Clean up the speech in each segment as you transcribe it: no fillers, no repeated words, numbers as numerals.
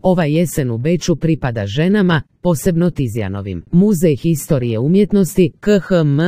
Ova jesen u Beču pripada ženama, posebno Tizijanovim. Muzej historije umjetnosti KHM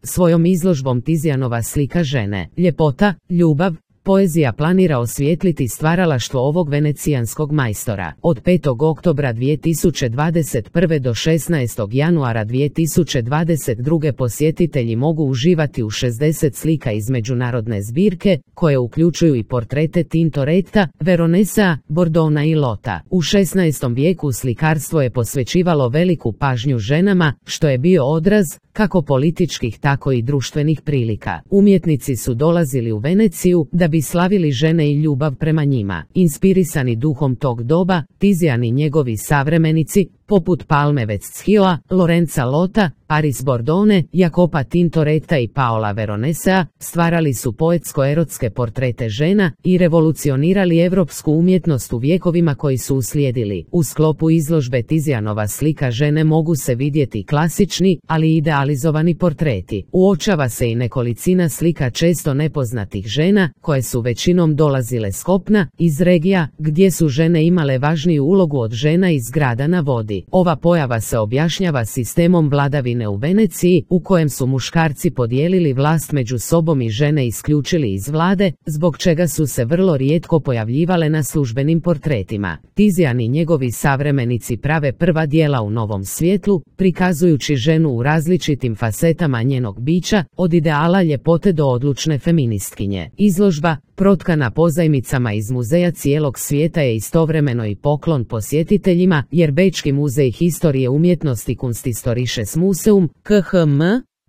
svojom izložbom Tizijanova slika žene, ljepota, ljubav, poezija planira osvijetliti stvaralaštvo ovog venecijanskog majstora. Od 5. oktobra 2021. do 16. januara 2022. posjetitelji mogu uživati u 60 slika iz međunarodne zbirke, koje uključuju i portrete Tintoretta, Veronesa, Bordona i Lota. U 16. vijeku slikarstvo je posvećivalo veliku pažnju ženama, što je bio odraz kako političkih tako i društvenih prilika. Umjetnici su dolazili u Veneciju da bi slavili žene i ljubav prema njima. Inspirisani duhom tog doba, Tizijan i njegovi savremenici, poput Palme Westschioa, Lorenza Lota, Paris Bordone, Jacopa Tintoretta i Paola Veronesea, stvarali su poetsko-erotske portrete žena i revolucionirali evropsku umjetnost u vjekovima koji su uslijedili. U sklopu izložbe Tizijanova slika žene mogu se vidjeti klasični, ali idealizovani portreti. Uočava se i nekolicina slika često nepoznatih žena, koje su većinom dolazile s kopna, iz regija, gdje su žene imale važniju ulogu od žena iz grada na vodi. Ova pojava se objašnjava sistemom vladavine u Veneciji, u kojem su muškarci podijelili vlast među sobom i žene isključili iz vlade, zbog čega su se vrlo rijetko pojavljivale na službenim portretima. Tizijan i njegovi savremenici prave prva djela u novom svjetlu, prikazujući ženu u različitim fasetama njenog bića, od ideala ljepote do odlučne feministkinje. Izložba, protkana pozajmicama iz muzeja cijelog svijeta, je istovremeno i poklon posjetiteljima, jer Bečki muzej historije umjetnosti Kunsthistorisches Museum, KHM,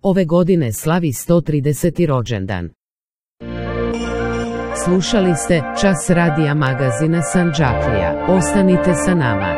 ove godine slavi 130. rođendan. Slušali ste Čas radija magazina Sandžaklija. Ostanite sa nama.